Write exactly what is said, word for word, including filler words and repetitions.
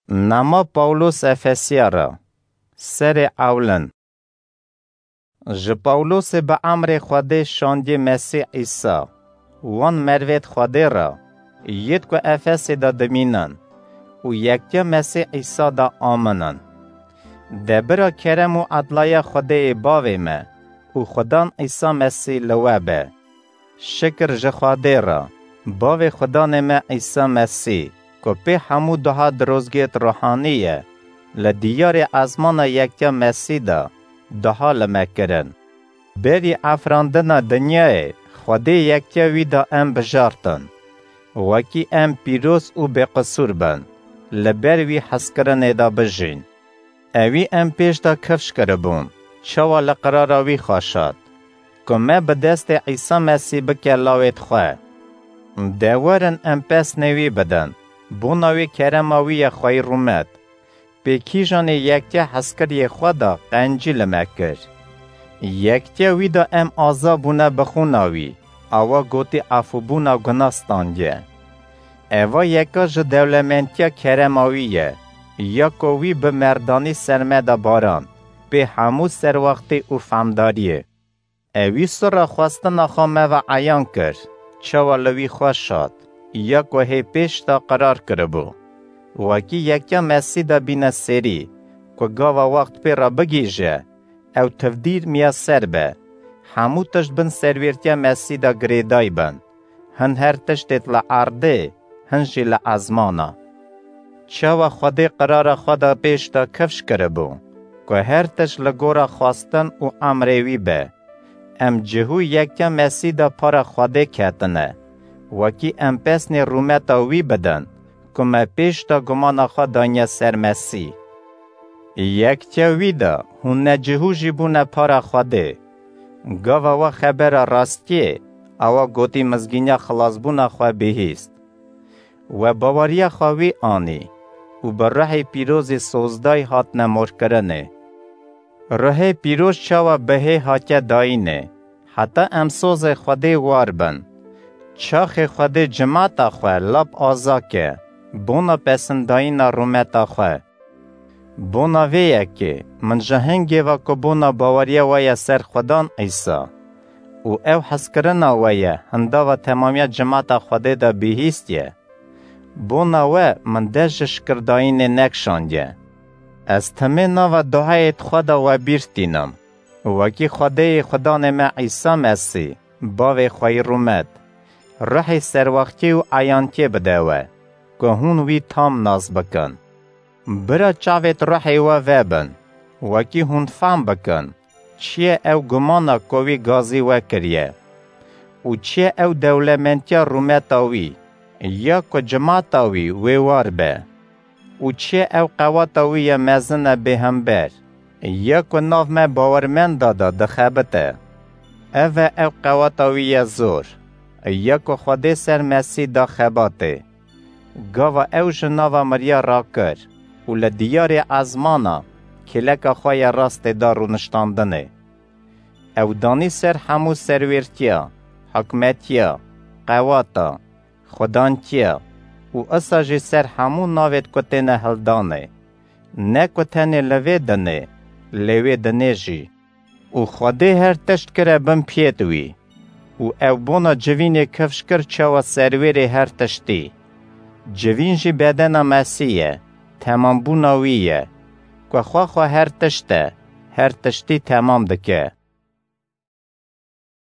Nama Pawlos Efesiya re. Serê ewlin. Ji Pawlosê bi emrê Xwedê şandiyê Mesîh Îsa, wan mervêd Xwedê re, yêd ku Efesê de dimînin û yektiya Mesîh Îsa de aminin. De bira kerem û edlaya Xwedêyê Bavê me û Xudan Îsa Mesîh li we be. Şikir ji Xwedê re, Bavê Xudanê me Îsa Mesîh, ku pê hemû duha dirozgêt ruhanî ye, li diyarê ezmana yektiya Mesîh de duha li me kirin. Berî efrandina dinyayê, Xwedê yektiya wî de em bijartin, wekî em pîroz û bêqisûr bin, li ber wî hezkirinê de bijîn. Ewî em pêş de kifş kiribûn, çawa li qirara wî xweşat, ku me bi destê Îsa Mesîh bike lawêt xwe. De werin em pesnê wî bidin, bona wê kerema wî ye xweyî rûmet. Pê kîjanê yektiya hezkiriyê xwe de qencî li me kir. Yektiya wî de em aza bûne bi xûna wî, awa gotî efûbûna guna standiye. Eva yeka ji dewlementiya kerema wî ye, ya ku wî bi merdanî ser me de barand, pê hemû serwaxtî û fehmdariyê. Ewî sirra xwestina xwe me ve eyan kir, çawa li wî xweş hat, ya ku hê pêş de qirar kiribû. Wekî yektiya Mesîh de bîne serî, ku gava wext pê re bigihîje, ew tivdîr miyaser be, hemû tişt bin serwêrtiya Mesîh de girêday bin, hin her tiştêt li erdê, hin jî li ezmana. Çawa Xwedê qirara xwe de pêş de kifş kiribû, ku her tişt li gora xwestin û emrê wî be. Em cihû yektiya Mesîh de para Xwedê ketine, wekî em pesnê rûmeta wî bidin, ku me pêş de gumana xwe daniye ser Mesîh. Yektiya wî de hûn necihû jî bûne para Xwedê. Gava we xebera rastiyê, awa gotî mizgîniya xilasbûna xwe bihîst. We baweriya xwe wî anî û bi ruhê pîrozî sozdayî hatine morkirinê. Ruhê pîroz çawa bi hê hatiye dayînê, heta em sozê Xwedê war bin. Çaxê Xwedê cimata xwe lap aza ke, bona pesindayîna rûmeta xwe. Bona vê yekê, min ji hingê ve ku bona baweriya we ye ser Xudan Îsa û ew hezkirina we ye hindava temamiya cimata Xwedê de bihîstiye. Bona we min dest ji şikirdayînê nekişandiye. Ez timê nava duayê xwe de we bîr tînim, wekî Xwedêyê Xudanê me Îsa Mesîh, Bavê xweyî rûmet, ruhê serwextiyê û eyantiyê bide we, ku hûn wî tam nas bikin. Bira çavêt ruhê we vebin, wekî hûn fam bikin, çi ye ew gumana ku wî gazî we kiriye û çi ye ew dewlementiya rûmeta wî, ya ku cimata wî wê war be, û çi ye ew qewata wî ye mezin e bêhember, ya ku nav me bawermenda de dixebite. Ev e ew qewata wî ye zor, ya ku Xwedê ser Mesîh da xebatê. Gava ew ji nava miriya rakir û li diyarê ezmana kêleka xwe ya rastê da rûniştandinê. Ew danî ser hemû serwêrtiya, hikmetiya, qewata, xudantiya û isa jî ser hemû navêt ku têne hildanê. Ne ku tenê li vê dinê, lê wê dinê jî. Û Xwedê her tişt kire bin piyêt wî. Û ew bona civînê kifş kir çawa serwêrê her tiştî. Civîn jî bedena Mesîh ye, temambûna wî ye. Ku xwe xwe her tişt e, her tiştî temam dike.